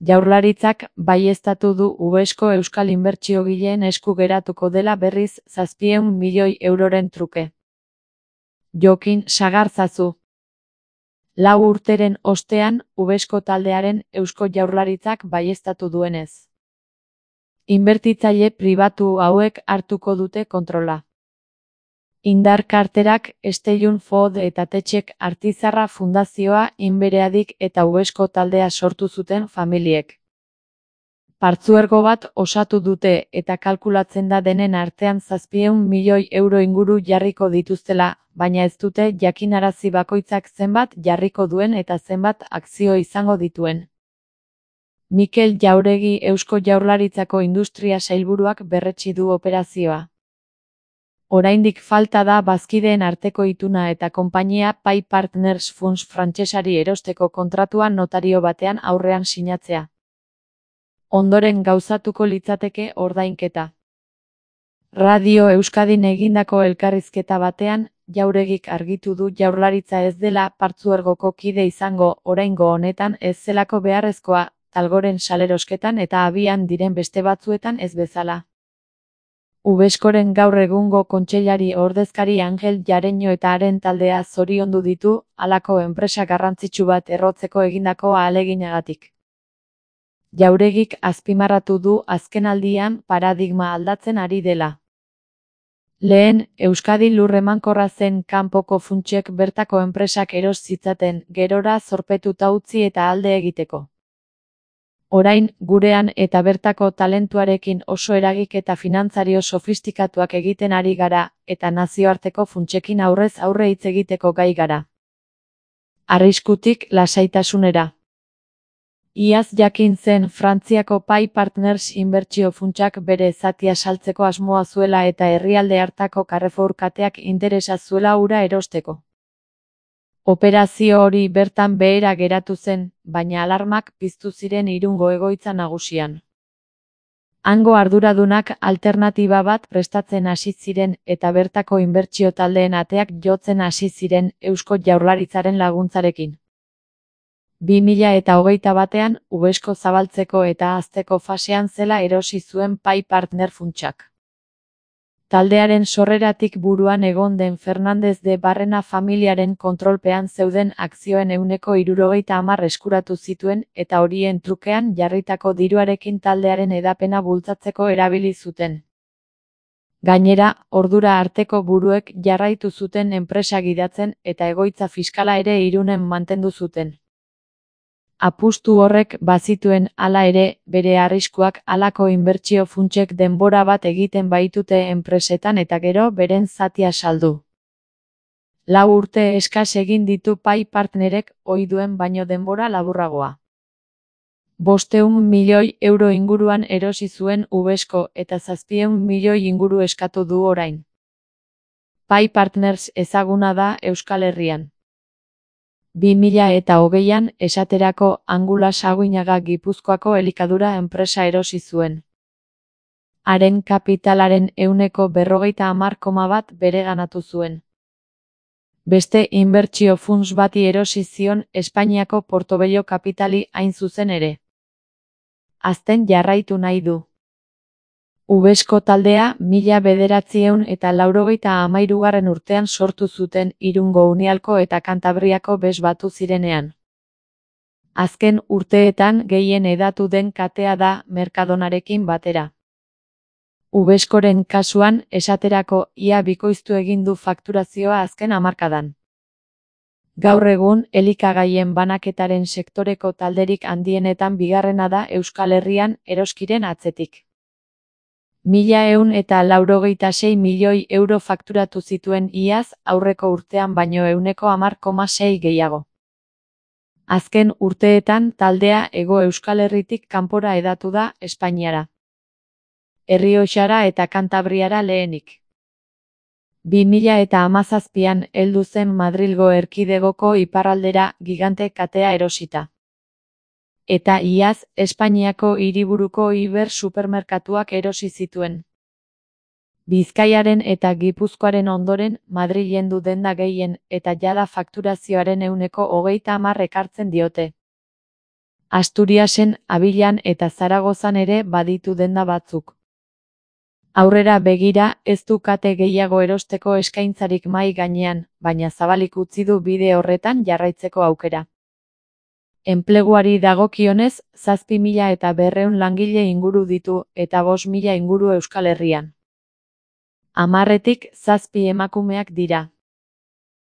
Jaurlaritzak baieztatu du Uvesko euskal inbertsiogileen esku geratuko dela berriz 700 milioi euroren truke. Jokin Sagarzazu. 4 urteren ostean, Uvesko taldearen Eusko Jaurlaritzak baieztatu duenez. Inbertitzaile pribatu hauek hartuko dute kontrola. Indar karterak, Estellun Fod eta Tetxek Artizarra Fundazioa Inbereadik eta Uvesko taldea sortu zuten familiek. Partzuergo bat osatu dute eta kalkulatzen da denen artean 700 milioi euro inguru jarriko dituztela, baina ez dute jakinarazi bakoitzak zenbat jarriko duen eta zenbat akzio izango dituen. Mikel Jauregi Eusko Jaurlaritzako Industria Sailburuak berretsi du operazioa. Oraindik falta da bazkideen arteko ituna eta konpainia Pai Partners Funds frantsesari erosteko kontratua notario batean aurrean sinatzea. Ondoren gauzatuko litzateke ordainketa. Radio Euskadin egindako elkarrizketa batean, Jauregik argitu du Jaurlaritza ez dela partzuergoko kide izango oraingo honetan ez zelako beharrezkoa, Talgoren salerosketan eta abian diren beste batzuetan ez bezala. Uveskoren gaur egungo kontseilari ordezkari Angel Jareño eta haren taldea zoriondu ditu, halako enpresa garrantzitsu bat errotzeko egindako ahaleginagatik. Jauregik azpimarratu du azkenaldian paradigma aldatzen ari dela. Lehen, Euskadi lur emankorra zen kanpoko funtsek bertako enpresak eros zitzaten, gerora zorpetuta utzi eta alde egiteko. Orain, gurean eta bertako talentuarekin oso eragik eta finantzario sofistikatuak egiten ari gara, eta nazioarteko funtsekin aurrez aurre hitz egiteko gai gara. Arriskutik lasaitasunera. Iaz jakin zen Frantziako Pai Partners inbertsio funtsak bere zatia saltzeko asmoa zuela eta herrialde hartako Carrefour kateak interesa zuela hura erosteko. Operazio hori bertan behera geratu zen, baina alarmak piztu ziren Irungo egoitza nagusian. Hango arduradunak alternatiba bat prestatzen hasi ziren eta bertako inbertsio taldeen ateak jotzen hasi ziren Eusko Jaurlaritzaren laguntzarekin. 2021ean, Uvesko zabaltzeko eta hazteko fasean zela erosi zuen Pai Partner funtsak. Taldearen sorreratik buruan egon den Fernández de Barrena familiaren kontrolpean zeuden akzioen 70% eskuratu zituen eta horien trukean jarritako diruarekin taldearen hedapena bultzatzeko erabili zuten. Gainera, ordura arteko buruek jarraitu zuten enpresa gidatzen eta egoitza fiskala ere Irunen mantendu zuten. Apustu horrek bazituen hala ere, bere arriskuak halako inbertsio funtsek denbora bat egiten baitute enpresetan eta gero beren zatia saldu. 4 urte eskas egin ditu Pai Partnerek ohi duen baino denbora laburragoa. 500 milioi euro inguruan erosi zuen Uvesko eta 700 milioi inguru eskatu du orain. Pai Partners ezaguna da Euskal Herrian. 2020an, esaterako Angula Saguinaga Gipuzkoako elikadura enpresa erosi zuen. Haren kapitalaren 40,1% bereganatu zuen. Beste inbertsio funts bati erosi zion Espainiako Portobello Kapitali hain zuzen ere. Hazten jarraitu nahi du. Uvesko taldea 1993 urtean sortu zuten Irungo Unialko eta Kantabriako bez batu zirenean. Azken urteetan gehien hedatu den katea da Mercadonarekin batera. Uveskoren kasuan, esaterako, ia bikoiztu egin du fakturazioa azken hamarkadan. Gaur egun, elikagaien banaketaren sektoreko talderik handienetan bigarrena da Euskal Herrian eroskiren atzetik. 1.196 milioi euro fakturatu zituen iaz, aurreko urtean baino 10,6% gehiago. Azken urteetan taldea Hego Euskal Herritik kanpora hedatu da Espainiara. Errioxara eta Kantabriara lehenik. 2017an heldu zen Madrilgo erkidegoko iparraldera gigante katea erosita. Eta iaz, Espainiako hiriburuko Iber supermerkatuak erosi zituen. Bizkaiaren eta Gipuzkoaren ondoren, Madrilen du denda gehien eta jada fakturazioaren 30% ekartzen diote. Asturiasen, Abilan eta Zaragozan ere baditu denda batzuk. Aurrera begira, ez du kate gehiago erosteko eskaintzarik mahai gainean, baina zabalik utzi du bide horretan jarraitzeko aukera. Enpleguari dagokionez, 7.500 langile inguru ditu eta 5.000 inguru Euskal Herrian. 10-tik 7 emakumeak dira.